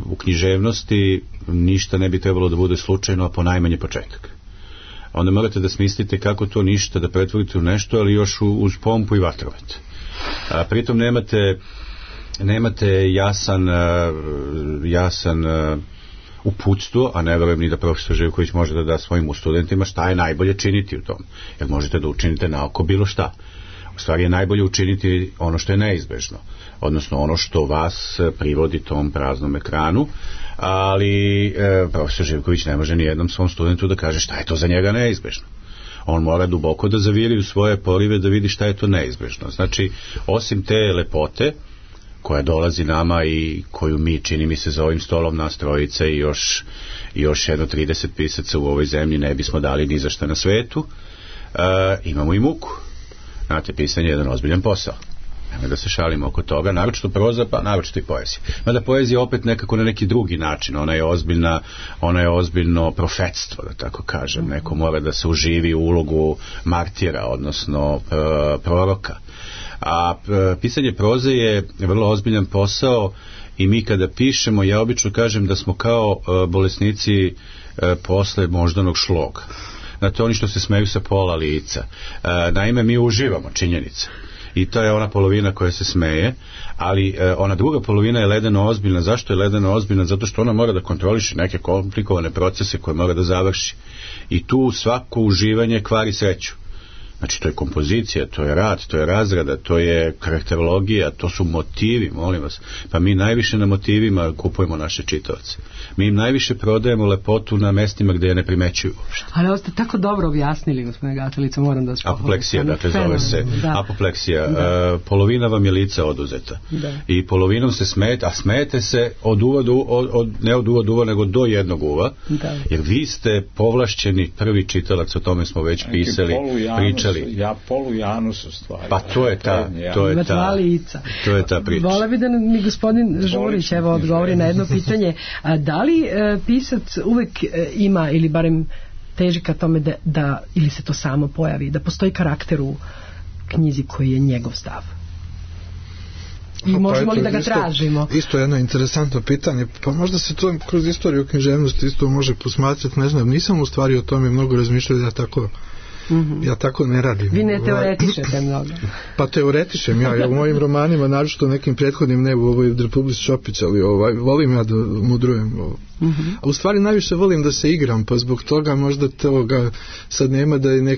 U književnosti ništa ne bi trebalo da bude slučajno, a ponajmanje početak. Onda morate da smislite kako to ništa da pretvorite u nešto, ali još uz pompu i vatromet. Pritom nemate jasan uputstvo, a ne verujem ni da profesor Živković može da da svojim studentima šta je najbolje činiti u tom. Jer možete da učinite naoko bilo šta. U stvari je najbolje učiniti ono što je neizbežno, odnosno ono što vas privodi tom praznom ekranu, ali profesor Živković ne može ni jednom svom studentu da kaže šta je to za njega neizbežno. On mora duboko da zaviri u svoje porive da vidi šta je to neizbežno. Znači, osim te lepote koja dolazi nama i koju mi, čini mi se, za ovim stolom nas trojice i još jedno 30 pisaca u ovoj zemlji ne bismo dali ni za šta na svetu, imamo i muku. Znate, pisanje je jedan ozbiljan posao. Nemoj da se šalimo oko toga, naročito proza, pa naročito i poezija. Mada poezija opet nekako na neki drugi način, ona je ozbiljno profetstvo, da tako kažem. Neko mora da se uživi u ulogu martira, odnosno proroka. A pisanje proze je vrlo ozbiljan posao i mi kada pišemo, ja obično kažem da smo kao bolesnici posle moždanog šloga. Znate, oni što se smeju sa pola lica. Naime, mi uživamo činjenice. I to je ona polovina koja se smeje, ali ona druga polovina je ledeno ozbiljna. Zašto je ledeno ozbiljna? Zato što ona mora da kontroliše neke komplikovane procese koje mora da završi. I tu svako uživanje kvari sreću. Znači, to je kompozicija, to je rad, to je razrada, to je karakterologija, to su motivi, molim vas. Pa mi najviše na motivima kupujemo naše čitaoce. Mi im najviše prodajemo lepotu na mestima gde je ne primećuju uopšte. Ali ovo ste tako dobro objasnili, gospodine Gatelica, moram da vas pohvalim. Apopleksija, dakle, zove se. Da. Apopleksija. Da. Polovina vam je lica oduzeta. Da. I polovinom se smete, a smete se od uva do ne od uva do uva, nego do jednog uva. Da. Jer vi ste povlašćeni prvi čitalac, o tome smo već pisali, pričali. Ja polu Janus u stvari. Pa to je ta priča. Vola bi da mi gospodin Žurić evo odgovori na jedno pitanje. Da li pisac uvek ima ili barem teži ka tome da ili se to samo pojavi, da postoji karakter u knjizi koji je njegov stav? I možemo li da ga tražimo? Isto jedno interesantno pitanje, pa možda se to kroz istoriju književnosti isto može posmatrati, ne znam, nisam u stvari o tome mnogo razmišljao da tako ja tako ne radim. Vi ne teoretišete mnogo. Pa teoretišem ja u mojim romanima, naročito nekim prethodnim, ne u ovoj Republici Šopić, ali volim ja da mudrujem. A u stvari najviše volim da se igram, pa zbog toga možda toga sad nema da je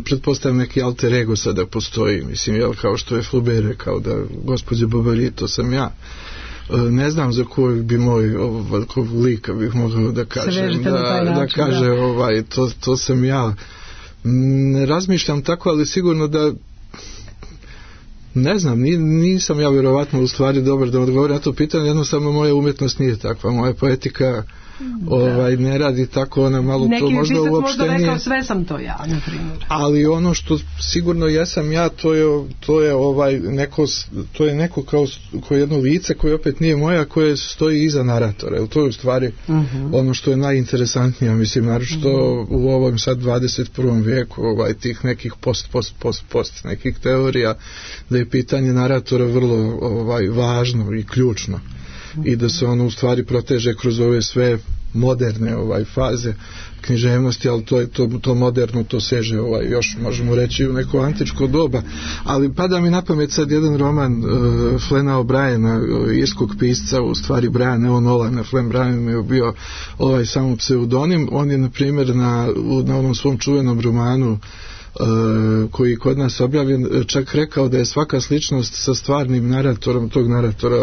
pretpostavljam neki alter ego sada postoji, mislim, jel, kao što je Flaubert rekao da gospođe Bovary, to sam ja. Ne znam za koji bi moj lika bih mogao da kažem da kaže to sam ja. Ne razmišljam tako, ali sigurno da ne znam, nisam ja vjerovatno u stvari dobar da odgovorim na to pitanje, jednostavno moja umjetnost nije takva, moja poetika ne radi tako, ona malo neki to možda uopšte nije. Neki pisac možda rekao sve sam to ja, na primjer. Ali ono što sigurno jesam ja, to je neko kao jedno lice koje opet nije moja, koje stoji iza naratora. To je u stvari ono što je najinteresantnije, mislim, naročito u ovom sad 21. vijeku, tih nekih post nekih teorija, da je pitanje naratora vrlo važno i ključno. I da se ono u stvari proteže kroz ove sve moderne faze književnosti, ali to moderno, to seže još možemo reći u neko antičko doba. Ali pada mi na pamet sad jedan roman Flana O'Briena, irskog pisca, u stvari Briana O'Nolana. Flan Brian je bio samo pseudonim. On je na primjer na onom svom čuvenom romanu koji kod nas objavljen, čak rekao da je svaka sličnost sa stvarnim naratorom tog naratora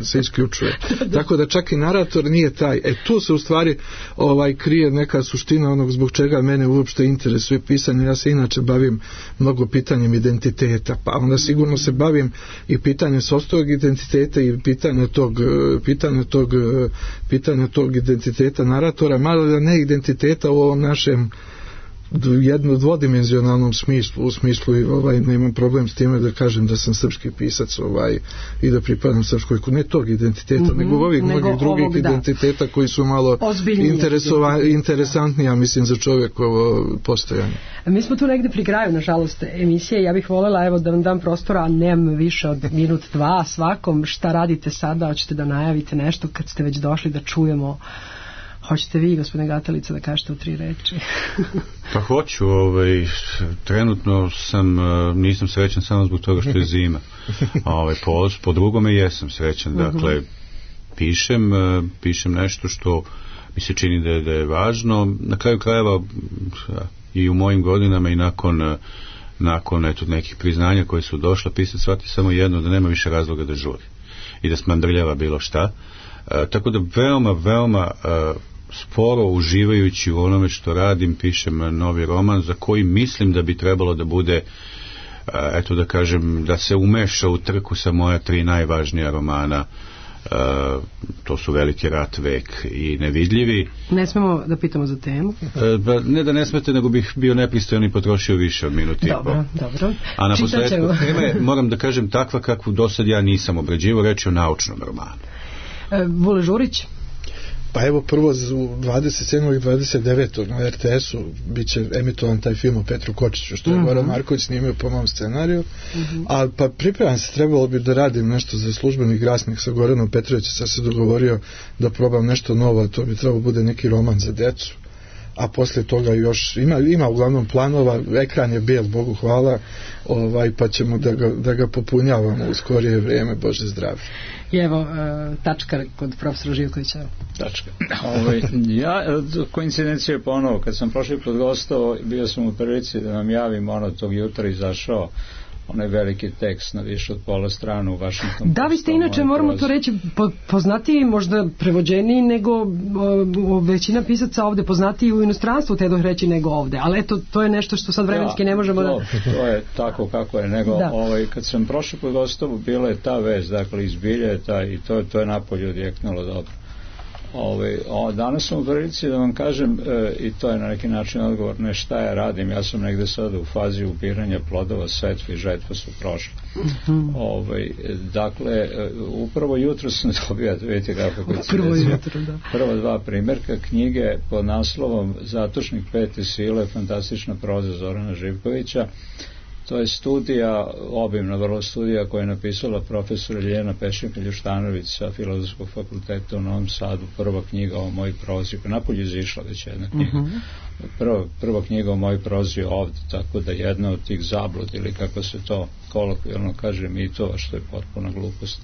se isključuje. Tako da čak i narator nije taj. Tu se u stvari krije neka suština onog zbog čega mene uopšte interesuje pisanje. Ja se inače bavim mnogo pitanjem identiteta, pa onda sigurno se bavim i pitanjem sopstvenog identiteta i pitanja tog identiteta naratora, malo da ne identiteta u ovom našem jedno dvodimenzionalnom smislu, u smislu nemam problem s time da kažem da sam srpski pisac i da pripadam srpskoj, ne tog identiteta, nego ovih mnogih drugih identiteta koji su malo interesantniji, ja mislim, za čovjekovo postojanje. Mi smo tu negde pri kraju, nažalost, emisije. Ja bih voljela da vam dam prostora, a nemam više od minut, dva svakom. Šta radite sada? Hoćete da najavite nešto kad ste već došli da čujemo? Hoćete vi, gospodine Gatelica, da kažete u 3 reči? Pa hoću, trenutno nisam srećan samo zbog toga što je zima. Po drugome jesam srećan, dakle, pišem nešto što mi se čini da je važno. Na kraju krajeva i u mojim godinama i nakon nekih priznanja koje su došla, pisac shvati samo jedno, da nema više razloga da žuri i da smandrljava bilo šta. Tako da veoma sporo, uživajući u onome što radim, pišem novi roman za koji mislim da bi trebalo da bude, eto da kažem, da se umeša u trku sa moja 3 najvažnija romana. To su Veliki rat, Vek i Nevidljivi. Ne smemo da pitamo za temu? Ne da ne smete, nego bih bio nepristojan i potrošio više od minuti i po. Dobro. A na posledku teme, moram da kažem, takva kakvu do sad ja nisam obrađivao, reći o naučnom romanu. Vule Žurić? Pa evo, prvo u 27. i 29. na RTS-u bit će emitovan taj film o Petru Kočiću, što je Goran Marković snimio po mom scenariju. A pa pripremam se, trebalo bi da radim nešto za službeni glasnik sa Goranom Petrovićem, sad se dogovorio da probam nešto novo, a to bi trebalo bude neki roman za decu. A posle toga još ima uglavnom planova, ekran je bijel, Bogu hvala, pa ćemo da ga popunjavamo u skorije vrijeme, Bože zdravlje. I evo, tačka kod profesora Živkovića. Tačka. Ja, koincidencija je ponovo, kad sam prošli put gostao, bio sam u prilici da nam javim, tog jutra izašao onaj veliki tekst na više od pola strana u Washington. Da, vi ste inače, moramo to reći, poznatiji, možda prevođeniji nego većina pisaca ovde, poznatiji u inostranstvu, te reći, nego ovde, ali eto, to je nešto što sad vremenski ne možemo da... To je tako kako je, nego kad sam prošli put gostao, bila je ta vez, dakle, izbilja je ta, i to je napolje odjeknulo dobro. Danas sam u prilici da vam kažem, i to je na neki način odgovor, ne šta ja radim, ja sam negde sada u fazi ubiranja plodova, setve i žetva su prošle. Dakle, upravo jutro sam dobio, vidite kako prva 2 primjerka knjige pod naslovom Zatočnik 5. sile, fantastična proza Zorana Živkovića. To je studija, obimna vrlo studija, koja je napisala profesor Ljiljana Pešnik-Ljuštanović sa Filozofskog fakulteta u Novom Sadu, prva knjiga o mojoj prozi, koja napolje izišla već jedna knjiga. Prva knjiga o mojoj prozi je ovdje, tako da jedna od tih zablud, ili kako se to kolokvijalno kaže, mitova, što je potpuna glupost.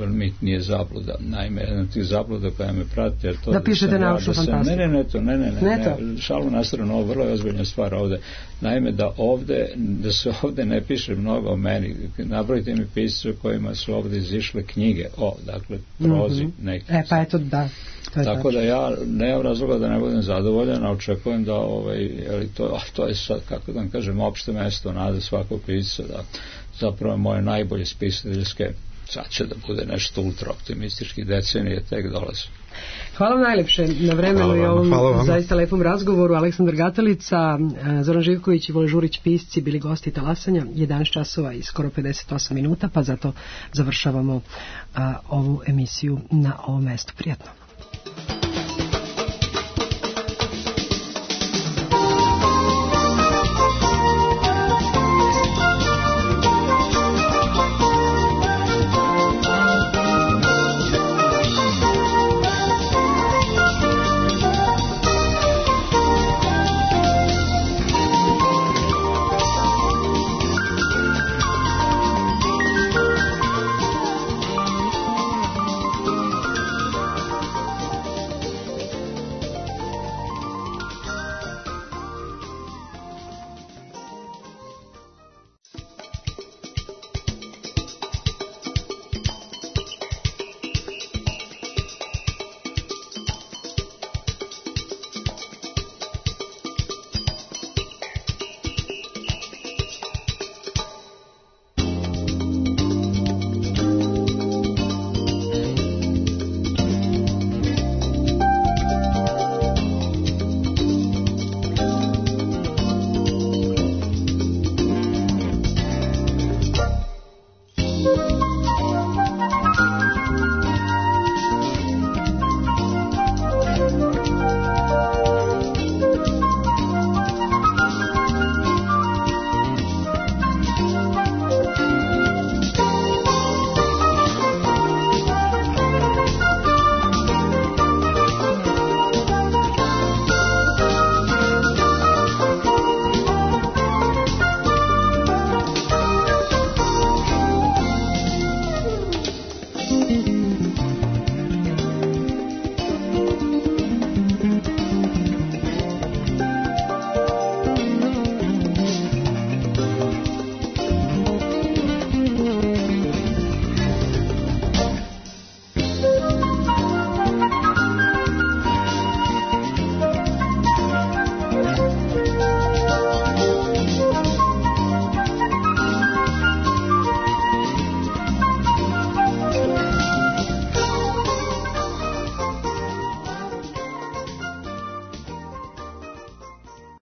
Mit nije zabluda. Naime, jedna od tih zabluda koja me prati je to da pišete naučnu fantastiku. Ne, šalu na stranu, ovo vrlo je ozbiljna stvar ovde. Naime, da se ovde ne piše mnogo o meni. Nabrojite mi pisce kojima su ovde izišle knjige o, dakle, prozi nekih. Pa eto, da. Tako da ja nemam razloga da ne budem zadovoljan, a očekujem da to je sad, kako da vam kažem, opšte mesto nade svakog pisca, da zapravo moje najbolje spisateljske, sad će da bude nešto ultra optimistički, decenije tek dolaze. Hvala vam najlepše na vremenu i ovom zaista lepom razgovoru. Aleksandar Gatalica, Zoran Živković i Vole Žurić, pisci, bili gosti Talasanja. 11 časova i skoro 58 minuta, pa zato završavamo ovu emisiju na ovom mestu. Prijatno.